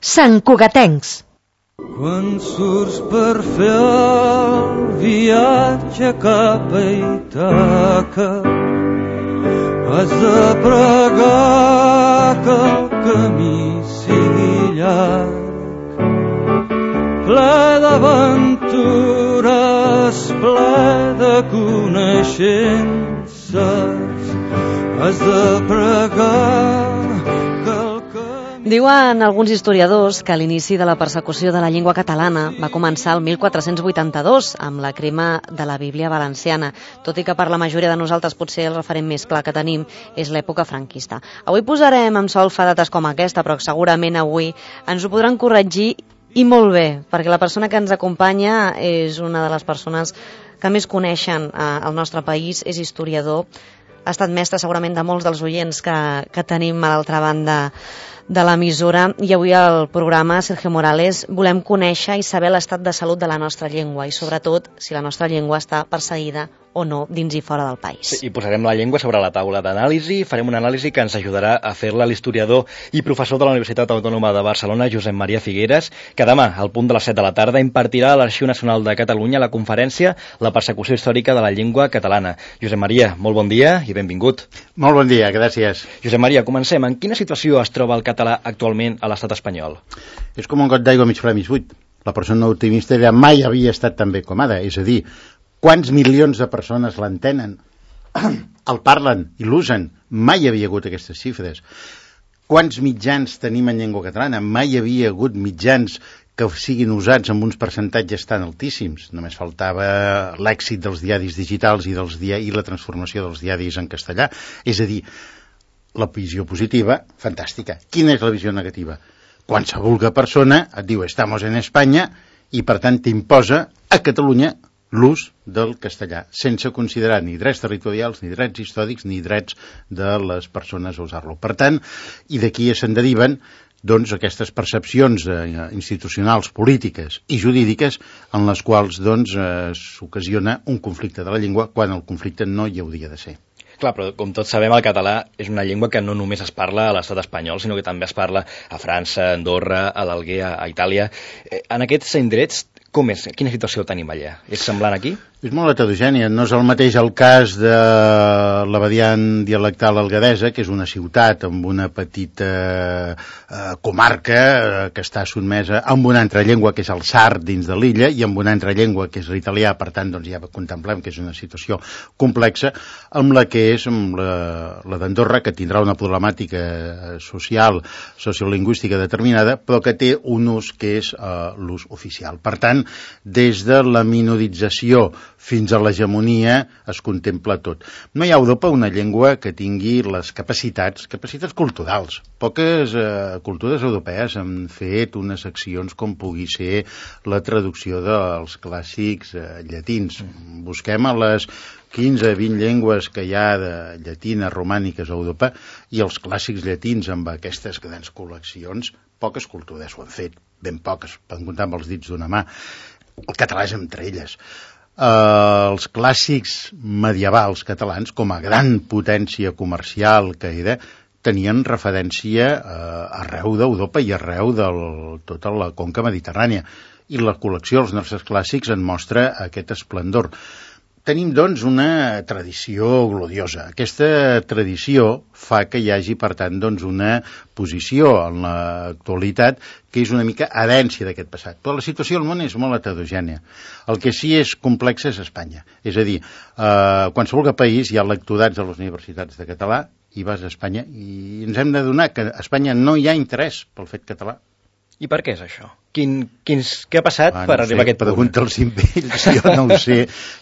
santcugatencs. Quan surts per fer el viatge cap a Ítaca, has de pregar que el camí sigui llarg, ple d'aventures, ple de coneixences. Has de pregar que el camí... Diuen alguns historiadors que l'inici de la persecució de la llengua catalana va començar el 1482 amb la crema de la Bíblia valenciana, tot i que per la majoria de nosaltres potser el referent més clar que tenim és l'època franquista. Avui posarem en solfa dates com aquesta, però segurament avui ens ho podran corregir i molt bé, perquè la persona que ens acompanya és una de les persones que més coneixen el nostre país, és historiador, ha estat mestre segurament de molts dels oients que tenim a l'altra banda de l'emissora, i avui al programa, Sergio Morales, volem conèixer i saber l'estat de salut de la nostra llengua i sobretot si la nostra llengua està perseguida o no dins i fora del país. I posarem la llengua sobre la taula d'anàlisi, farem una anàlisi que ens ajudarà a fer-la l'historiador i professor de la Universitat Autònoma de Barcelona, Josep Maria Figueres, que demà, al punt de les 7 de la tarda, impartirà a l'Arxiu Nacional de Catalunya la conferència La persecució històrica de la llengua catalana. Josep Maria, molt bon dia i benvingut. Molt bon dia, gràcies. Josep Maria, comencem. En quina situació es troba el català actualment a l'estat espanyol? És com un got d'aigua mig ple mig buit. La persona optimista mai havia estat tan bé com ara, és a dir, quants milions de persones l'entenen, el parlen i l'usen? Mai hi havia hagut aquestes xifres. Quants mitjans tenim en llengua catalana? Mai hi havia hagut mitjans que siguin usats amb uns percentatges tan altíssims. Només faltava l'èxit dels diaris digitals i la transformació dels diaris en castellà. És a dir, la visió positiva, fantàstica. Quina és la visió negativa? Qualsevol persona et diu «estamos en Espanya» i per tant t'imposa a Catalunya l'ús del castellà, sense considerar ni drets territorials, ni drets històrics, ni drets de les persones a usar-lo. Per tant, i d'aquí se'n deriven doncs, aquestes percepcions institucionals, polítiques i jurídiques en les quals doncs, s'ocasiona un conflicte de la llengua quan el conflicte no hi hauria de ser. Clar, però com tots sabem, el català és una llengua que no només es parla a l'estat espanyol, sinó que també es parla a França, a Andorra, a l'Alguer, a Itàlia. En aquests indrets, com és? Quina situació tenim allà? És semblant aquí? És molt heterogènia. No és el mateix el cas de la variant dialectal algueresa, que és una ciutat amb una petita comarca que està sotmesa amb una altra llengua, que és el sard dins de l'illa, i amb una altra llengua, que és l'italià. Per tant, doncs, ja contemplem que és una situació complexa, amb la que és la d'Andorra, que tindrà una problemàtica social, sociolingüística determinada, però que té un ús que és l'ús oficial. Per tant, des de la minorització fins a l'hegemonia es contempla tot. No hi ha a Europa una llengua que tingui les capacitats culturals. Poques cultures europees han fet unes accions com pugui ser la traducció dels clàssics llatins. Busquem a les 15-20 llengües que hi ha de llatines romàniques a Europa i els clàssics llatins amb aquestes grans col·leccions, poques cultures ho han fet, ben poques, poden comptar amb els dits d'una mà. El català és entre elles. Els clàssics medievals catalans, com a gran potència comercial que era, tenien referència arreu d'Europa i arreu de tota la conca mediterrània. I la col·lecció dels nostres clàssics en mostra aquest esplendor. Tenim, doncs, una tradició gloriosa. Aquesta tradició fa que hi hagi, per tant, doncs, una posició en l'actualitat que és una mica herència d'aquest passat. Però la situació al món és molt heterogènia. El que sí és complex és Espanya. És a dir, qualsevol país hi ha lectorats a les universitats de català i vas a Espanya i ens hem d'adonar que a Espanya no hi ha interès pel fet català. I per què és això? Què ha passat per arribar a aquest punt? Pregunta'ls ells, jo no ho sé.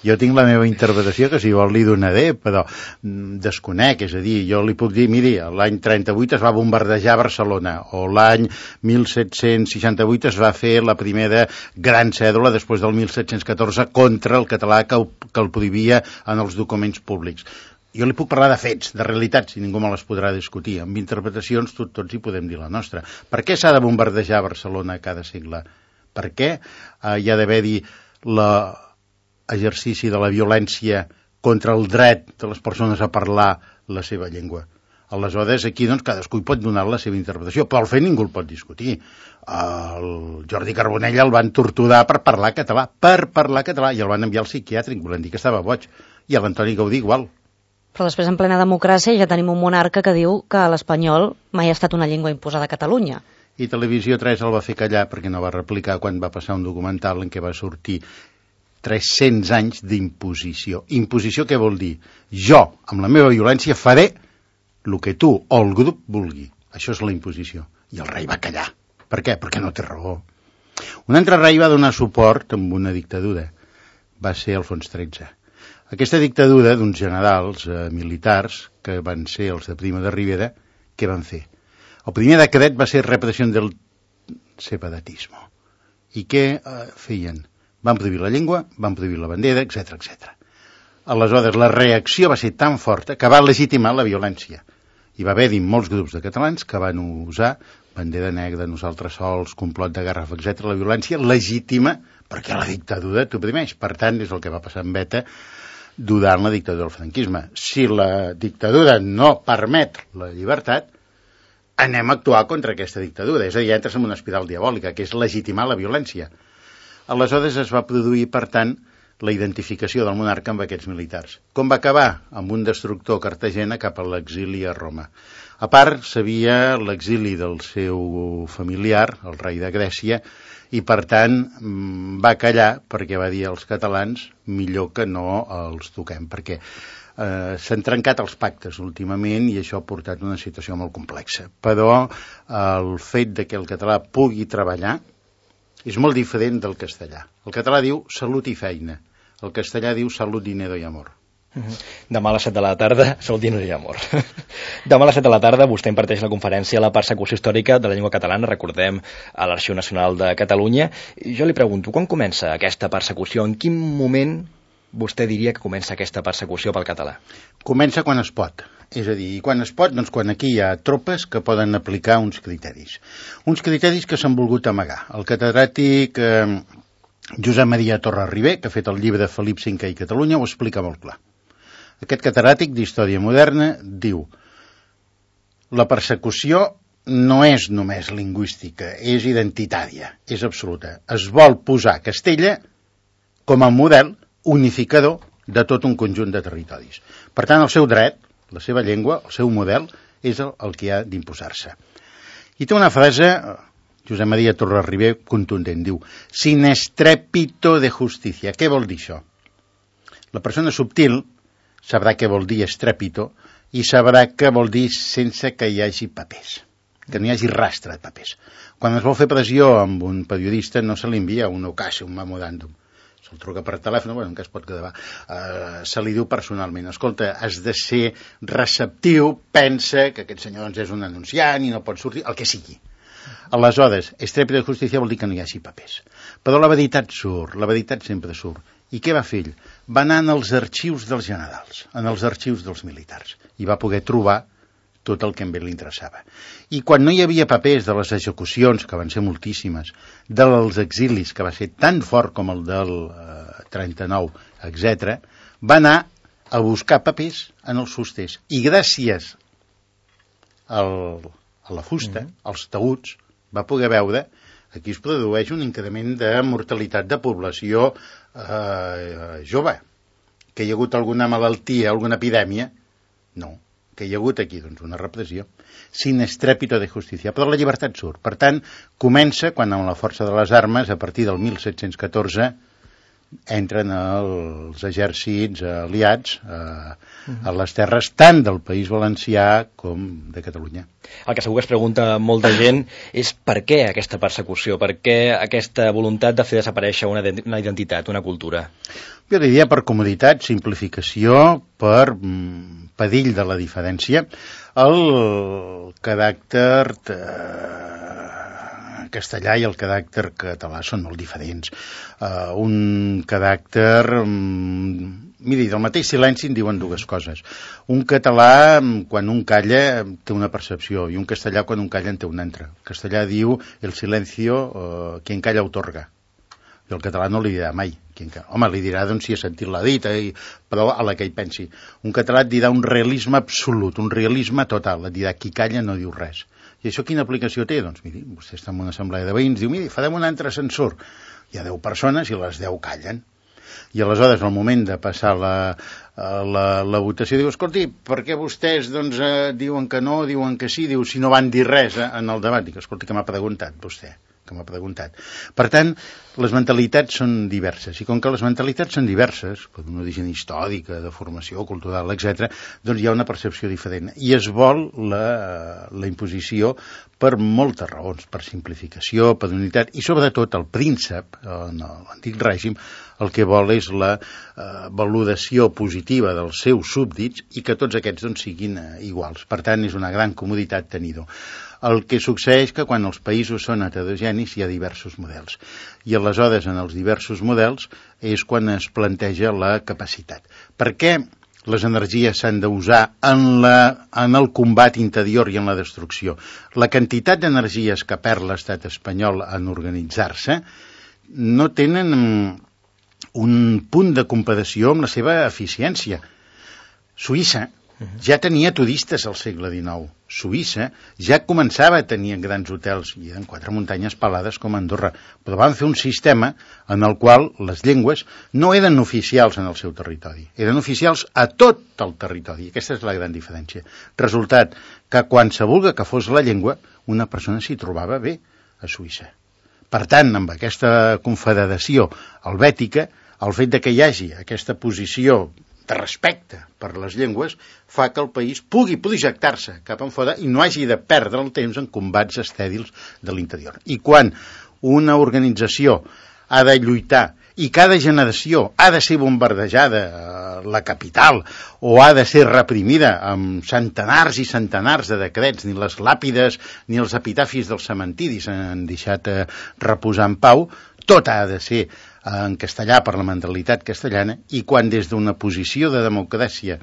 Jo tinc la meva interpretació, que si vol li donaré, però desconec. És a dir, jo li puc dir, miri, l'any 38 es va bombardejar Barcelona, o l'any 1768 es va fer la primera gran cèdula després del 1714 contra el català que el prohibia en els documents públics. Jo li puc parlar de fets, de realitats, i ningú me les podrà discutir. Amb interpretacions tots hi podem dir la nostra. Per què s'ha de bombardejar Barcelona cada segle? Per què hi ha d'haver-hi l'exercici de la violència contra el dret de les persones a parlar la seva llengua? Aleshores, aquí doncs, cadascú hi pot donar la seva interpretació, però el fet ningú el pot discutir. El Jordi Carbonell el van torturar per parlar català, i el van enviar al psiquiàtric, volent dir que estava boig, i l'Antoni Gaudí igual. Però després, en plena democràcia, ja tenim un monarca que diu que l'espanyol mai ha estat una llengua imposada a Catalunya. I Televisió 3 el va fer callar perquè no va replicar quan va passar un documental en què va sortir 300 anys d'imposició. Imposició què vol dir? Jo, amb la meva violència, faré el que tu o el grup vulgui. Això és la imposició. I el rei va callar. Per què? Perquè no té raó. Un altre rei va donar suport amb una dictadura. Va ser Alfons XIII. Aquesta dictadura d'uns generals militars, que van ser els de Primo de Rivera, què van fer? El primer decret va ser repressió del separatisme. I què feien? Van prohibir la llengua, van prohibir la bandera, etc. Aleshores, la reacció va ser tan forta que va legitimar la violència. Hi va haver-hi molts grups de catalans que van usar bandera negra, nosaltres sols, complot de Garraf, etc. La violència legítima perquè la dictadura t'oprimeix. Per tant, és el que va passar amb ETA durant la dictadura del franquisme. Si la dictadura no permet la llibertat, anem a actuar contra aquesta dictadura. És a dir, entres en una espiral diabòlica, que és legitimar la violència. Aleshores es va produir, per tant, la identificació del monarca amb aquests militars. Com va acabar? Amb un destructor a Cartagena cap a l'exili a Roma. A part, sabia l'exili del seu familiar, el rei de Grècia, i per tant va callar perquè va dir als catalans millor que no els toquem, perquè s'han trencat els pactes últimament i això ha portat una situació molt complexa. Però el fet de que el català pugui treballar és molt diferent del castellà. El català diu salut i feina. El castellà diu salut, dinero i amor. Demà a les 7 de la tarda, salut, dinero i amor. Demà a les 7 de la tarda vostè imparteix la conferència a la persecució històrica de la llengua catalana, recordem, a l'Arxiu Nacional de Catalunya. I jo li pregunto, quan comença aquesta persecució? En quin moment vostè diria que comença aquesta persecució pel català? Comença quan es pot. És a dir, quan es pot, doncs quan aquí hi ha tropes que poden aplicar uns criteris. Uns criteris que s'han volgut amagar. El catedràtic Josep Maria Torres-Ribé, que ha fet el llibre Felip V i Catalunya, ho explica molt clar. Aquest catedràtic d'Història Moderna diu: la persecució no és només lingüística, és identitària, és absoluta. Es vol posar Castella com a model unificador de tot un conjunt de territoris. Per tant, el seu dret, la seva llengua, el seu model, és el que ha d'imposar-se. I té una frase, Josep Maria Torres-Ribé, contundent, diu: sin estrépito de justícia. Què vol dir això? La persona subtil sabrà què vol dir estrépito i sabrà què vol dir sense que hi hagi papers, que no hi hagi rastre de papers. Quan es vol fer pressió amb un periodista no se li envia un ocàs, un memoràndum. Se'l truca per telèfon, bueno, encara es pot gravar. Se li diu personalment: escolta, has de ser receptiu, pensa que aquest senyor doncs, és un anunciant i no pot sortir, el que sigui. Aleshores, estrépito de justícia vol dir que no hi hagi papers. Però la veritat surt, la veritat sempre surt. I què va fer ell? Va anar en els arxius dels generals, en els arxius dels militars, i va poder trobar tot el que a ell li interessava. I quan no hi havia papers de les execucions, que van ser moltíssimes, dels exilis, que va ser tan fort com el del 39, etc., va anar a buscar papers en els fusters. I gràcies a la fusta, als taüts, va poder veure aquí es produeix un increment de mortalitat de població jove. Que hi ha hagut alguna malaltia, alguna epidèmia? No. Que hi ha hagut aquí doncs, una repressió. Sin estrépito de justícia. Però la llibertat surt. Per tant, comença quan amb la força de les armes, a partir del 1714, entren els exèrcits aliats a les terres tant del País Valencià com de Catalunya. El que segur que es pregunta molta gent és per què aquesta persecució, per què aquesta voluntat de fer desaparèixer una identitat, una cultura? Jo diria per comoditat, simplificació, per perill de la diferència, el caràcter castellà i el caràcter català són molt diferents. Un caràcter... Miri, del mateix silenci en diuen dues coses. Un català, quan un calla, té una percepció, i un castellà, quan un calla, en té una altra. El castellà diu el silencio, quien calla otorga. i el català no li dirà mai. Home, li dirà doncs, si ha sentit la dita, però a la que hi pensi. Un català et dirà un realisme absolut, un realisme total, et dirà qui calla no diu res. I això quina aplicació té? Doncs miri, vostè està en una assemblea de veïns, diu, miri, farem un altre censor. Hi ha 10 persones i les 10 callen. I aleshores, al moment de passar la votació, diu, escolti, per què vostès doncs, diuen que no, diuen que sí, diu, si no van dir res en el debat? Dic, escolti, que m'ha preguntat vostè. Per tant, les mentalitats són diverses, i com que les mentalitats són diverses, per un origen històrica, de formació cultural, etc., doncs hi ha una percepció diferent, i es vol la imposició per moltes raons, per simplificació, per unitat, i sobretot el príncep, en l'antic règim, el que vol és la valoració positiva dels seus súbdits i que tots aquests doncs, siguin iguals. Per tant, és una gran comoditat tenir-ho. El que succeeix que quan els països són heterogenis hi ha diversos models. I aleshores, en els diversos models, és quan es planteja la capacitat. Per què les energies s'han d'usar en el combat interior i en la destrucció? La quantitat d'energies que perd l'estat espanyol en organitzar-se no tenen un punt de comparació amb la seva eficiència. Suïssa ja tenia turistes al segle XIX. Suïssa ja començava a tenir grans hotels, i eren 4 muntanyes pelades com Andorra, però van fer un sistema en el qual les llengües no eren oficials en el seu territori, eren oficials a tot el territori. Aquesta és la gran diferència. Resultat, que qualsevol que fos la llengua, una persona s'hi trobava bé a Suïssa. Per tant, amb aquesta confederació helvètica, el fet de que hi hagi aquesta posició de respecte per les llengües fa que el país pugui projectar-se cap enfora i no hagi de perdre el temps en combats estèrils de l'interior. I quan una organització ha de lluitar i cada generació ha de ser bombardejada a la capital o ha de ser reprimida amb centenars i centenars de decrets, ni les làpides ni els epitafis dels cementiris han deixat reposar en pau, tot ha de ser en castellà per la mentalitat castellana, i quan des d'una posició de democràcia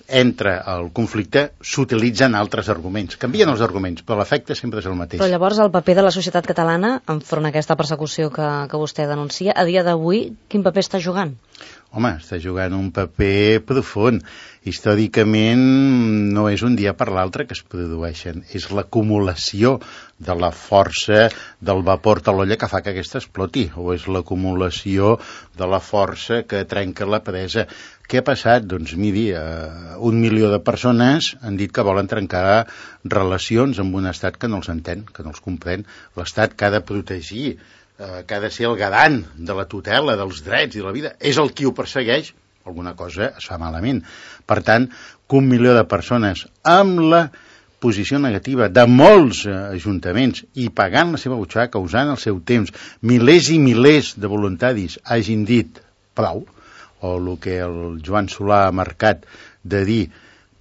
entra el conflicte, s'utilitzen altres arguments. Canvien els arguments, però l'efecte sempre és el mateix. Però llavors el paper de la societat catalana enfront a aquesta persecució que vostè denuncia, a dia d'avui, quin paper està jugant? Home, està jugant un paper profund. Històricament no és un dia per l'altre que es produeixen, és l'acumulació de la força del vapor de l'olla que fa que aquesta exploti, o és l'acumulació de la força que trenca la presa. Què ha passat? Doncs miri, 1 milió de persones han dit que volen trencar relacions amb un estat que no els entén, que no els comprèn, l'estat que ha de protegir, que ha de ser el garant de la tutela, dels drets i de la vida, és el qui ho persegueix, alguna cosa es fa malament. Per tant, que 1 milió de persones amb la posició negativa de molts ajuntaments i pagant la seva butxaca, usant el seu temps, milers i milers de voluntaris hagin dit prou, o el que el Joan Solà ha marcat de dir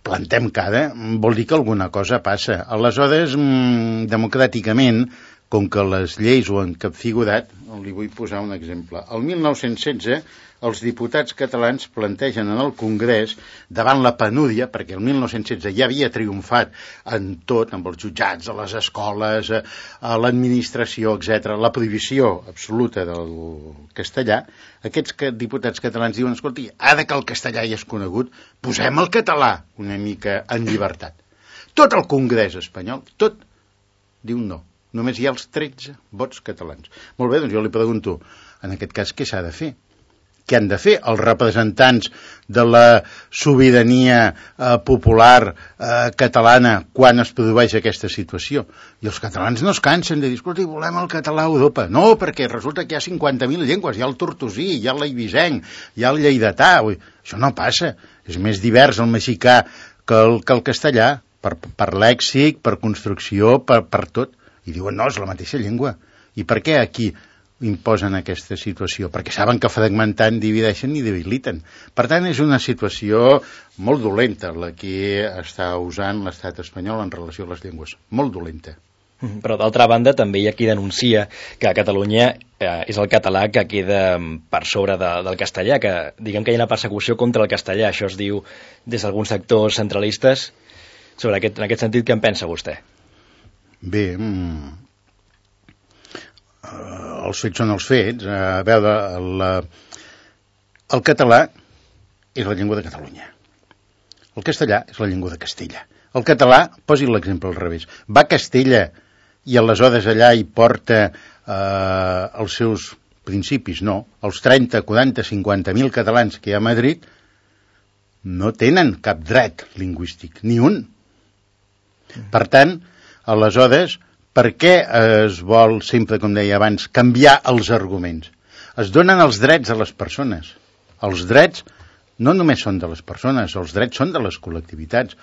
plantem cara, vol dir que alguna cosa passa. Aleshores, democràticament, com que les lleis ho han capfigurat, li vull posar un exemple. El 1916, els diputats catalans plantegen en el Congrés, davant la penúria, perquè el 1916 ja havia triomfat en tot, amb els jutjats, a les escoles, a l'administració, etc., la prohibició absoluta del castellà, aquests diputats catalans diuen, escolti, ara que el castellà ja és conegut, posem el català una mica en llibertat. Tot el Congrés espanyol, tot, diu no. Només hi ha els 13 vots catalans. Molt bé, doncs jo li pregunto, en aquest cas, què s'ha de fer? Què han de fer els representants de la sobirania popular catalana quan es produeix aquesta situació? I els catalans no es cansen de dir, escolta, volem el català a Europa. No, perquè resulta que hi ha 50.000 llengües, hi ha el tortosí, hi ha l'eivissenc, hi ha el lleidatà. Això no passa. És més divers el mexicà que el castellà, per lèxic, per construcció, per tot. I diuen, no, és la mateixa llengua. I per què aquí imposen aquesta situació? Perquè saben que fragmentant divideixen i debiliten. Per tant, és una situació molt dolenta la que està usant l'estat espanyol en relació a les llengües. Molt dolenta. Però d'altra banda també hi ha qui denuncia que a Catalunya és el català que queda per sobre del castellà, que diguem que hi ha una persecució contra el castellà. Això es diu des d'alguns sectors centralistes. En aquest sentit, què en pensa vostè? Bé, els fets són els fets. A veure, el català és la llengua de Catalunya. El castellà és la llengua de Castella. El català, posi l'exemple al revés, va a Castella i aleshores allà hi porta els seus principis, no. Els 30, 40, 50.000 catalans que hi ha a Madrid no tenen cap dret lingüístic, ni un. Per tant, aleshores, per què es vol, sempre, com deia abans, canviar els arguments? Es donen els drets a les persones. Els drets no només són de les persones, els drets són de les col·lectivitats.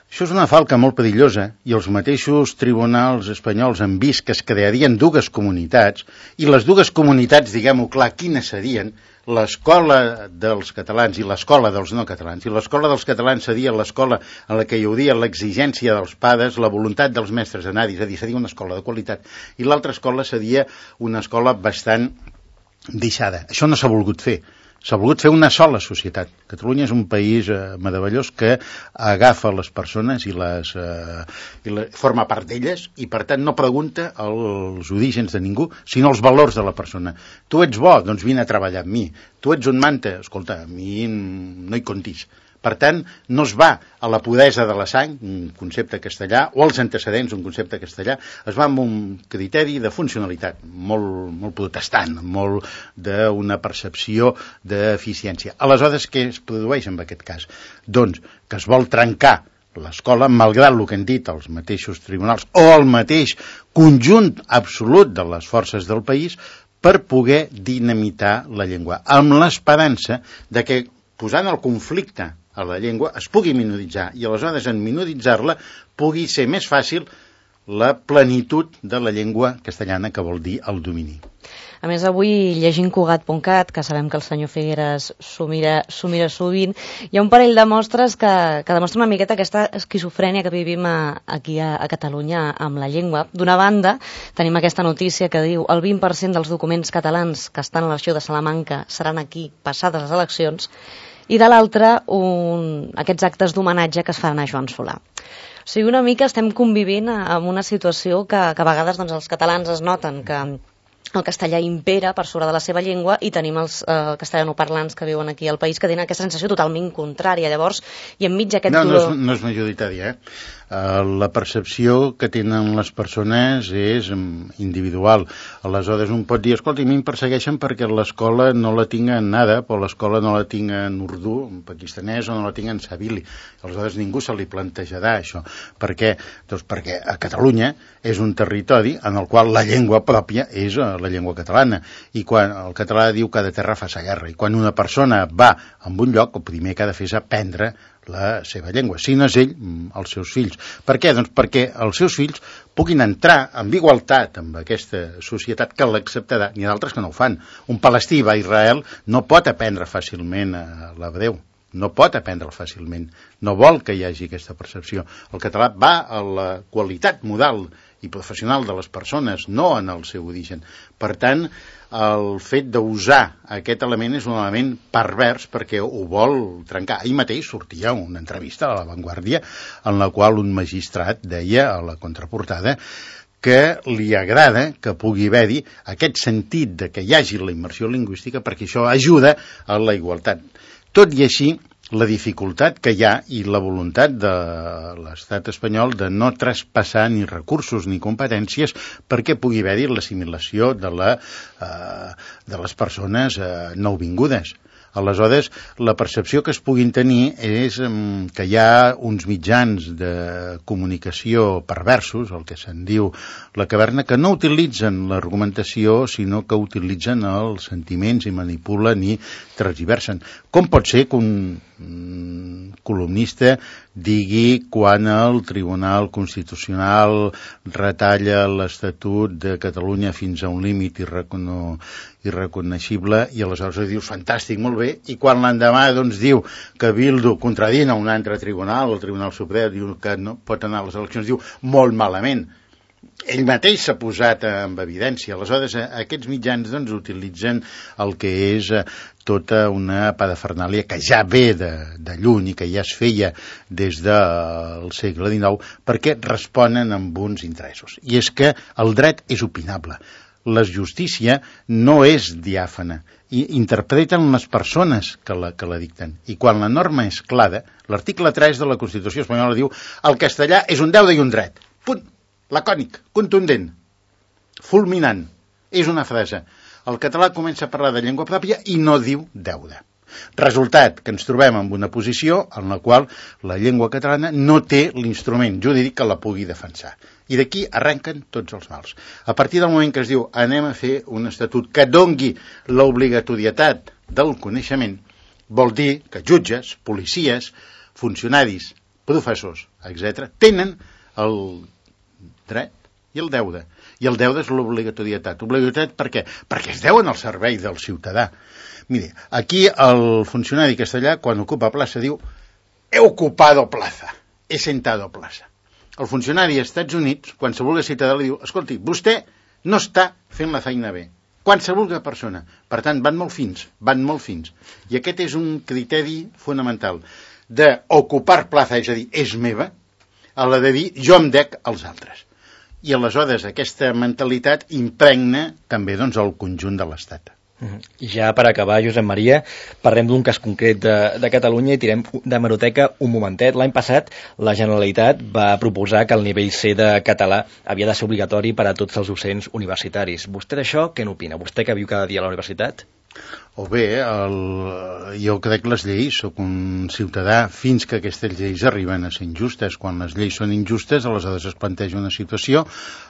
Això és una falca molt perillosa i els mateixos tribunals espanyols han vist que es crearien dues comunitats i les dues comunitats, diguem-ho clar, quines serien? L'escola dels catalans i l'escola dels no catalans. I l'escola dels catalans seria l'escola en la que hi hauria l'exigència dels pares, la voluntat dels mestres d'anar-hi, és a dir, seria una escola de qualitat. I l'altra escola seria una escola bastant deixada. Això no s'ha volgut fer. S'ha volgut fer una sola societat. Catalunya és un país meravellós que agafa les persones i forma part d'elles i, per tant, no pregunta els orígens de ningú, sinó els valors de la persona. Tu ets bo? Doncs vine a treballar amb mi. Tu ets un manta? Escolta, a mi no hi comptis. Per tant, no es va a la puresa de la sang, un concepte castellà, o als antecedents, un concepte castellà, es va amb un criteri de funcionalitat, molt protestant, molt d'una percepció d'eficiència. Aleshores, què es produeix en aquest cas? Doncs que es vol trencar l'escola, malgrat el que han dit els mateixos tribunals o el mateix conjunt absolut de les forces del país, per poder dinamitar la llengua, amb l'esperança de que, posant el conflicte a la llengua, es pugui minoritzar i aleshores en minoritzar-la pugui ser més fàcil la plenitud de la llengua castellana, que vol dir el domini. A més, avui, llegint Cugat.cat, que sabem que el senyor Figueres s'ho mira sovint, hi ha un parell de mostres que demostren una miqueta aquesta esquizofrènia que vivim aquí a Catalunya amb la llengua. D'una banda, tenim aquesta notícia que diu el 20% dels documents catalans que estan a l'Arxiu de Salamanca seran aquí passades les eleccions, i de l'altra, aquests actes d'homenatge que es faran a Joan Solà. O sigui, una mica estem convivint amb una situació que a vegades doncs, els catalans es noten que el castellà impera per sobre de la seva llengua i tenim els castellanoparlants que viuen aquí al país que tenen aquesta sensació totalment contrària. Llavors, i enmig d'aquest dolor... No és majoritària, la percepció que tenen les persones és individual. Aleshores, un pot dir, escolta, a mi em persegueixen perquè l'escola no la tinc en àrab, o l'escola no la tinc en urdú, en pakistanès, o no la tinc en sabili. Aleshores, ningú se li plantejarà això. Per què? Doncs perquè a Catalunya és un territori en el qual la llengua pròpia és la llengua catalana. I quan el català diu que de terra fa sa guerra, i quan una persona va a un lloc, el primer que ha de fer és aprendre la seva llengua, si no és ell, els seus fills. Per què? Doncs perquè els seus fills puguin entrar amb igualtat amb aquesta societat que l'acceptarà. N'hi ha d'altres que no ho fan. Un palestí va a Israel no pot aprendre fàcilment l'hebreu. No pot aprendre'l fàcilment. No vol que hi hagi aquesta percepció. El català va a la qualitat moral i professional de les persones, no en el seu origen. Per tant, el fet d'usar aquest element és un element pervers perquè ho vol trencar. Ahir mateix sortia una entrevista a La Vanguardia en la qual un magistrat deia a la contraportada que li agrada que pugui haver-hi aquest sentit de que hi hagi la immersió lingüística perquè això ajuda a la igualtat. Tot i així, la dificultat que hi ha i la voluntat de l'estat espanyol de no traspassar ni recursos ni competències perquè pugui haver-hi l'assimilació de les persones nouvingudes. Aleshores, la percepció que es puguin tenir és que hi ha uns mitjans de comunicació perversos, el que se'n diu la caverna, que no utilitzen l'argumentació, sinó que utilitzen els sentiments i manipulen i transversen. Com pot ser que un columnista digui quan el Tribunal Constitucional retalla l'Estatut de Catalunya fins a un límit irreconeixible i aleshores dius fantàstic, molt bé, i quan l'endemà doncs diu que Bildu contradint a un altre tribunal, el Tribunal Suprem diu que no pot anar a les eleccions, diu molt malament. Ell mateix s'ha posat en evidència. Aleshores, aquests mitjans doncs, utilitzen el que és tota una parafernàlia que ja ve de lluny i que ja es feia des del segle XIX perquè responen amb uns interessos. I és que el dret és opinable. la justícia no és diàfana, i interpreten les persones que la dicten. I quan la norma és clara, l'article 3 de la Constitució espanyola diu el castellà és un deure i un dret. Punt. Lacònic, contundent, fulminant. És una frase. El català comença a parlar de llengua pròpia i no diu deure. Resultat, que ens trobem en una posició en la qual la llengua catalana no té l'instrument jurídic que la pugui defensar. I d'aquí arrenquen tots els mals. A partir del moment que es diu anem a fer un estatut que dongui l'obligatorietat del coneixement, vol dir que jutges, policies, funcionaris, professors, etc., tenen el dret i el deure. I el deure és l'obligatorietat. Obligatorietat per què? Perquè es deuen al servei del ciutadà. Mire, aquí el funcionari castellà, quan ocupa plaça, diu he ocupado plaza, he sentado plaza. El funcionari als Estats Units, qualsevol ciutadà li diu escolti, vostè no està fent la feina bé. Qualsevol persona. Per tant, van molt fins. I aquest és un criteri fonamental d'ocupar plaça, és a dir, és meva, a la de dir jo em dec als altres. I aleshores aquesta mentalitat impregna també doncs, el conjunt de l'Estat. I ja per acabar, Josep Maria, parlem d'un cas concret de Catalunya i tirem d'hemeroteca un momentet. L'any passat la Generalitat va proposar que el nivell C de català havia de ser obligatori per a tots els docents universitaris. Vostè d'això què n'opina? Vostè que viu cada dia a la universitat? O bé, jo crec que les lleis, soc un ciutadà, fins que aquestes lleis arriben a ser injustes. Quan les lleis són injustes, aleshores es planteja una situació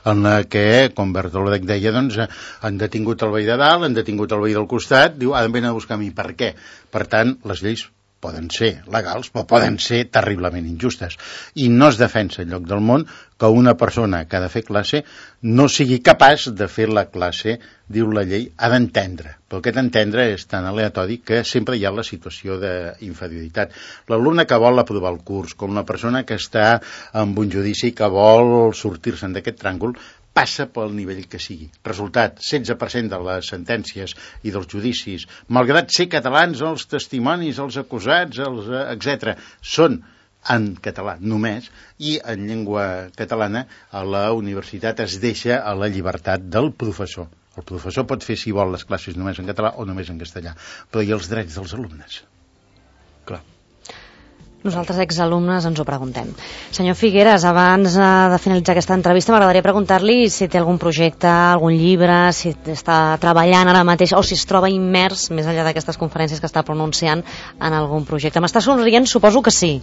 en la que, com Bertolt deia, doncs, han detingut el veí de dalt, han detingut el veí del costat, diu, han venen a buscar a mi. Per què? Per tant, les lleis poden ser legals, però poden ser terriblement injustes. I no es defensa enlloc del món que una persona que ha de fer classe no sigui capaç de fer la classe, diu la llei, ha d'entendre. Però aquest entendre és tan aleatori que sempre hi ha la situació d'inferioritat. L'alumne que vol aprovar el curs, com la persona que està en un judici que vol sortir-se'n d'aquest tràngol, passa pel nivell que sigui. Resultat, 16% de les sentències i dels judicis, malgrat ser catalans, els testimonis, els acusats, etc., són en català només, i en llengua catalana a la universitat es deixa a la llibertat del professor. El professor pot fer, si vol, les classes només en català o només en castellà, però hi ha els drets dels alumnes. Clar. Nosaltres, exalumnes, ens ho preguntem. Senyor Figueras, abans de finalitzar aquesta entrevista, m'agradaria preguntar-li si té algun projecte, algun llibre, si està treballant ara mateix o si es troba immers, més enllà d'aquestes conferències que està pronunciant, en algun projecte. M'està somrient? Suposo que sí.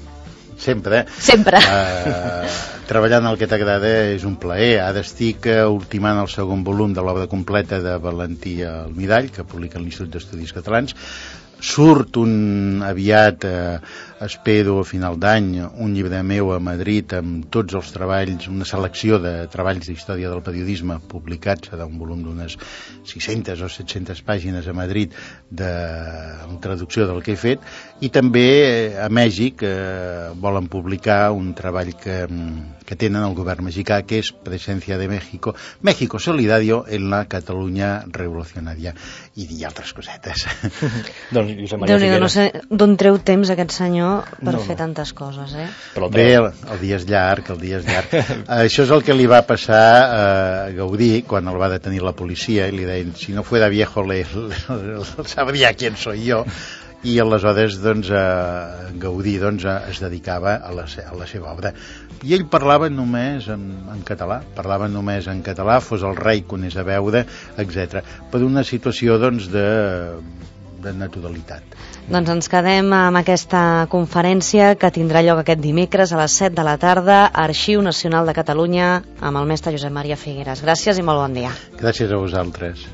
Sempre. Sempre. Treballar en el que t'agrada és un plaer. Ara estic ultimant el segon volum de l'obra completa de Valentí Almirall, que publica l'Institut d'Estudis Catalans. Surt aviat, espero a final d'any, un llibre meu a Madrid amb tots els treballs, una selecció de treballs d'història del periodisme publicats, serà un volum d'unes 600 o 700 pàgines a Madrid de traducció del que he fet, i també a Mèxic volen publicar un treball que tenen el govern mexicà, que és Presencia de México, México Solidario en la Catalunya Revolucionària, i altres cosetes. Doncs, Josep Maria Figueras. No sé d'on treu temps aquest senyor per fer tantes coses, eh? Bé, el dia és llarg, Això és el que li va passar a Gaudí quan el va detenir la policia, i li deien, si no fuera viejo, sabria quién soy yo. I aleshores doncs, Gaudí es dedicava a la seva obra. I ell parlava només en català, fos el rei que anés a veure, etc. Per una situació doncs, de naturalitat. Doncs ens quedem amb aquesta conferència que tindrà lloc aquest dimecres a les 7 de la tarda, Arxiu Nacional de Catalunya, amb el mestre Josep Maria Figueras. Gràcies i molt bon dia. Gràcies a vosaltres.